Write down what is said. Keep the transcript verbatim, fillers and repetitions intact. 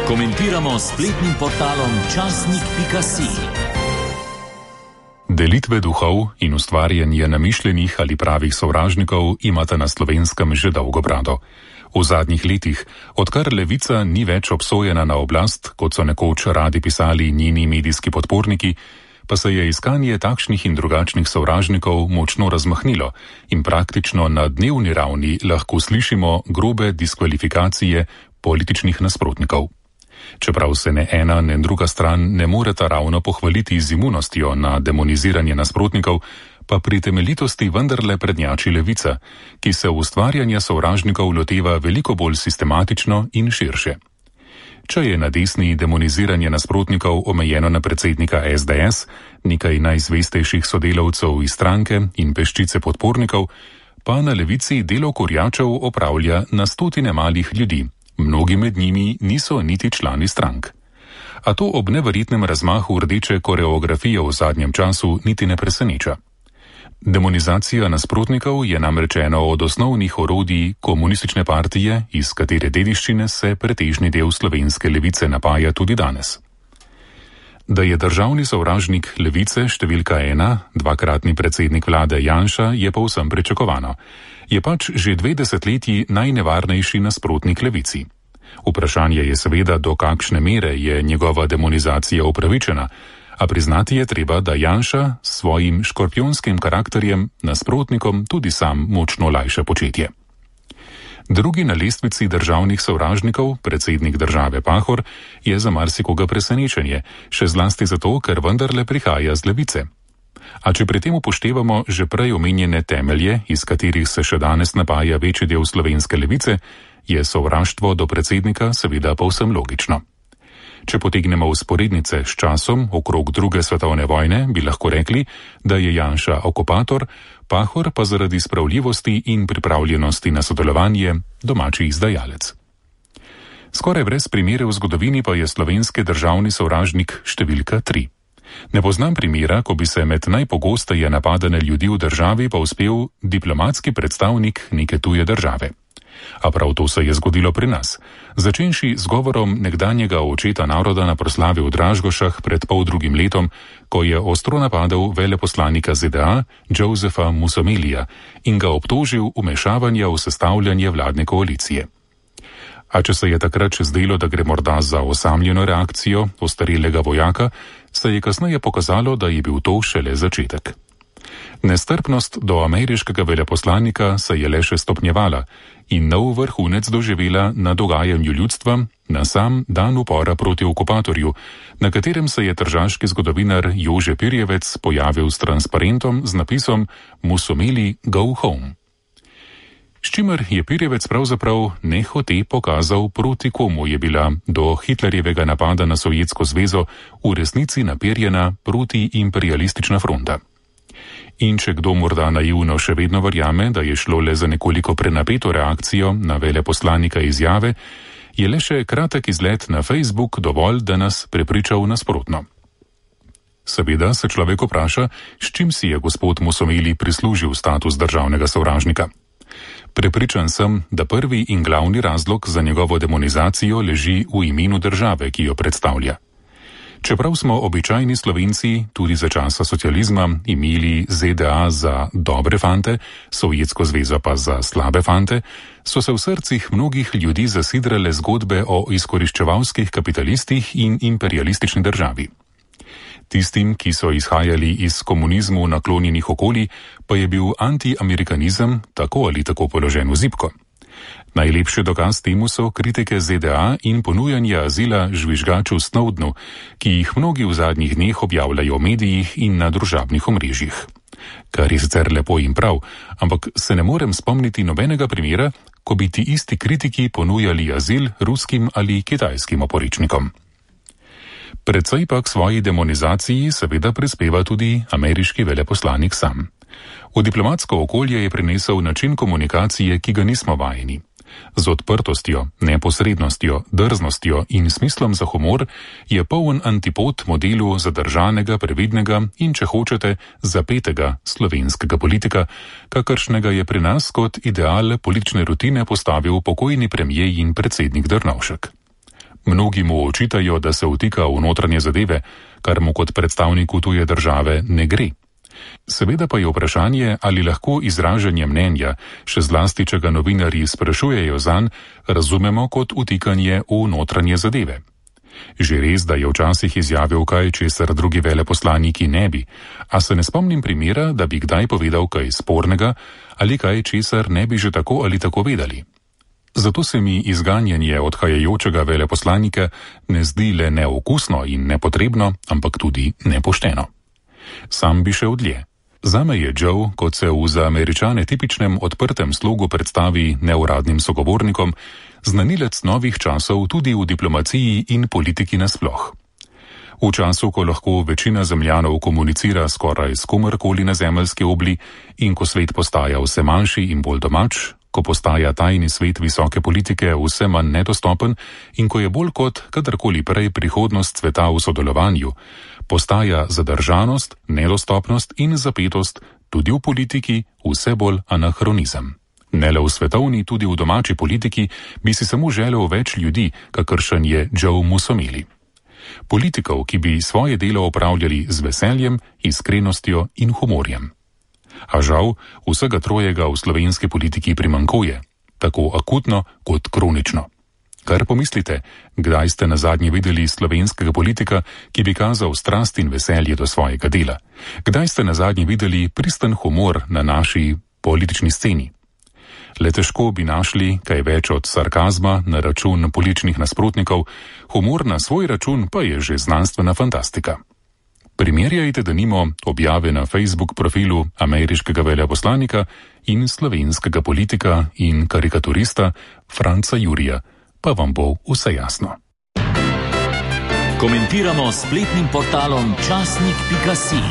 Komentiramo s spletnim portalom časnik pika si. Delitve duhov in ustvarjanje namišljenih ali pravih sovražnikov imata na Slovenskem že dolgo brado. V zadnjih letih, odkar levica ni več obsojena na oblast, kot so nekoč radi pisali njeni medijski podporniki, pa se je iskanje takšnih in drugačnih sovražnikov močno razmahnilo in praktično na dnevni ravni lahko slišimo grobe diskvalifikacije političnih nasprotnikov. Čeprav se ne ena, ne druga stran ne moreta ravno pohvaliti z imunostjo na demoniziranje nasprotnikov, pa pri temeljitosti vendarle prednjači levica, ki se ustvarjanja sovražnikov loteva veliko bolj sistematično in širše. Če je na desni demoniziranje nasprotnikov omejeno na predsednika es de es, nekaj najzvestejših sodelavcev iz stranke in peščice podpornikov, pa na levici delo kurjačev opravlja na stotine malih ljudi. Mnogi med njimi niso niti člani strank. A to ob neverjetnem razmahu rdeče koreografije v zadnjem času niti ne preseneča. Demonizacija nasprotnikov je namreč eno od osnovnih orodij komunistične partije, iz katere dediščine se pretežni del slovenske levice napaja tudi danes. Da je državni sovražnik levice številka ena, dvakratni predsednik vlade Janša, je povsem pričakovano. Je pač že dve desetletji najnevarnejši nasprotnik levici. Vprašanje je seveda, do kakšne mere je njegova demonizacija upravičena, a priznati je treba, da Janša s svojim škorpijonskim karakterjem nasprotnikom tudi sam močno lajša početje. Drugi na lestvici državnih sovražnikov, predsednik države Pahor, je za marsikoga presenečenje, še zlasti zato, ker vendarle prihaja z levice. A če pri tem upoštevamo že prej omenjene temelje, iz katerih se še danes napaja večji del slovenske levice, je sovraštvo do predsednika seveda povsem logično. Če potegnemo vzporednice s časom okrog druge svetovne vojne, bi lahko rekli, da je Janša okupator, Pahor pa zaradi spravljivosti in pripravljenosti na sodelovanje domači izdajalec. Skoraj brez primere v zgodovini pa je slovenski državni sovražnik številka tri. Ne poznam primera, ko bi se med najpogosteje napadane ljudi v državi pa uspel diplomatski predstavnik neke tuje države. A prav to se je zgodilo pri nas, začenši z govorom nekdanjega očeta naroda na proslavi v Dražgošah pred pol drugim letom, ko je ostro napadal veleposlanika ze de a Josepha Mussomelija in ga obtožil vmešavanja v sestavljanje vladne koalicije. A če se je takrat še zdelo, da gre morda za osamljeno reakcijo ostarelega vojaka, se je kasneje pokazalo, da je bil to šele začetek. Nestrpnost do ameriškega veleposlanika se je le še stopnjevala in nov vrhunec doživela na dogajanju ljudstva na sam dan upora proti okupatorju, na katerem se je tržaški zgodovinar Jože Pirjevec pojavil s transparentom z napisom Mussomeli go home. S čimer je Pirjevec pravzaprav nehote pokazal, proti komu je bila do Hitlerjevega napada na Sovjetsko zvezo v resnici naperjena protiimperialistična fronta. In če kdo morda naivno še vedno verjame, da je šlo le za nekoliko prenapeto reakcijo na veleposlanika izjave, je le še kratek izlet na Facebook dovolj, da nas prepriča v nasprotno. Seveda se človek vpraša, s čim si je gospod Mussomeli prislužil status državnega sovražnika. Prepričan sem, da prvi in glavni razlog za njegovo demonizacijo leži v imenu države, ki jo predstavlja. Čeprav smo običajni Slovenci tudi za časa socializma imeli ze de a za dobre fante, Sovjetsko zvezo pa za slabe fante, so se v srcih mnogih ljudi zasidrale zgodbe o izkoriščevalskih kapitalistih in imperialistični državi. Tistim, ki so izhajali iz komunizmu naklonjenih okolij, pa je bil antiamerikanizem tako ali tako položen v zibko. Najlepši dokaz temu so kritike ze de a in ponujanje azila žvižgaču Snowdenu, ki jih mnogi v zadnjih dneh objavljajo v medijih in na družabnih omrežjih. Kar je sicer lepo in prav, ampak se ne morem spomniti nobenega primera, ko bi ti isti kritiki ponujali azil ruskim ali kitajskim oporečnikom. Predvsej pa k svoji demonizaciji seveda prispeva tudi ameriški veleposlanik sam. V diplomatsko okolje je prinesel način komunikacije, ki ga nismo vajeni. Z odprtostjo, neposrednostjo, drznostjo in smislom za humor je poln antipod modelu zadržanega, previdnega in, če hočete, zapetega slovenskega politika, kakršnega je pri nas kot ideal politične rutine postavil pokojni premijer in predsednik Drnovšek. Mnogi mu očitajo, da se vtika v notranje zadeve, kar mu kot predstavniku tuje države ne gre. Seveda pa je vprašanje, ali lahko izražanje mnenja, še zlasti, če ga novinarji sprašujejo zanj, razumemo kot vtikanje v notranje zadeve. Že res, da je včasih izjavil kaj, česar drugi veleposlaniki ne bi, a se ne spomnim primera, da bi kdaj povedal kaj spornega ali kaj, česar ne bi že tako ali tako vedeli. Zato se mi izganjanje odhajajočega veleposlanika ne zdi le neokusno in nepotrebno, ampak tudi nepošteno. Sam bi šel dlje. Zame je Joe, kot se v za Američane tipičnem odprtem slogu predstavi neuradnim sogovornikom, znanilec novih časov tudi v diplomaciji in politiki nasploh. V času, ko lahko večina zemljanov komunicira skoraj s komerkoli na zemeljski obli in ko svet postaja vse manjši in bolj domač, ko postaja tajni svet visoke politike vse manj nedostopen in ko je bolj kot kadarkoli prej prihodnost sveta v sodelovanju, postaja zadržanost, nedostopnost in zapetost tudi v politiki vse bolj anahronizem. Ne le v svetovni, tudi v domači politiki bi si samo želel več ljudi, kakršen je Joe Musomili. Politikov, ki bi svoje delo opravljali z veseljem, iskrenostjo in humorjem. A žal, vsega trojega v slovenski politiki primanjkuje, tako akutno kot kronično. Kar pomislite, kdaj ste nazadnje videli slovenskega politika, ki bi kazal strast in veselje do svojega dela? Kdaj ste nazadnje videli pristen humor na naši politični sceni? Le težko bi našli kaj več od sarkazma na račun političnih nasprotnikov, humor na svoj račun pa je že znanstvena fantastika. Primerjajte denimo objave na Facebook profilu ameriškega veleposlanika in slovenskega politika in karikaturista Franca Jurija, pa vam bo vse jasno. Komentiramo s spletnim portalom časnik pika si.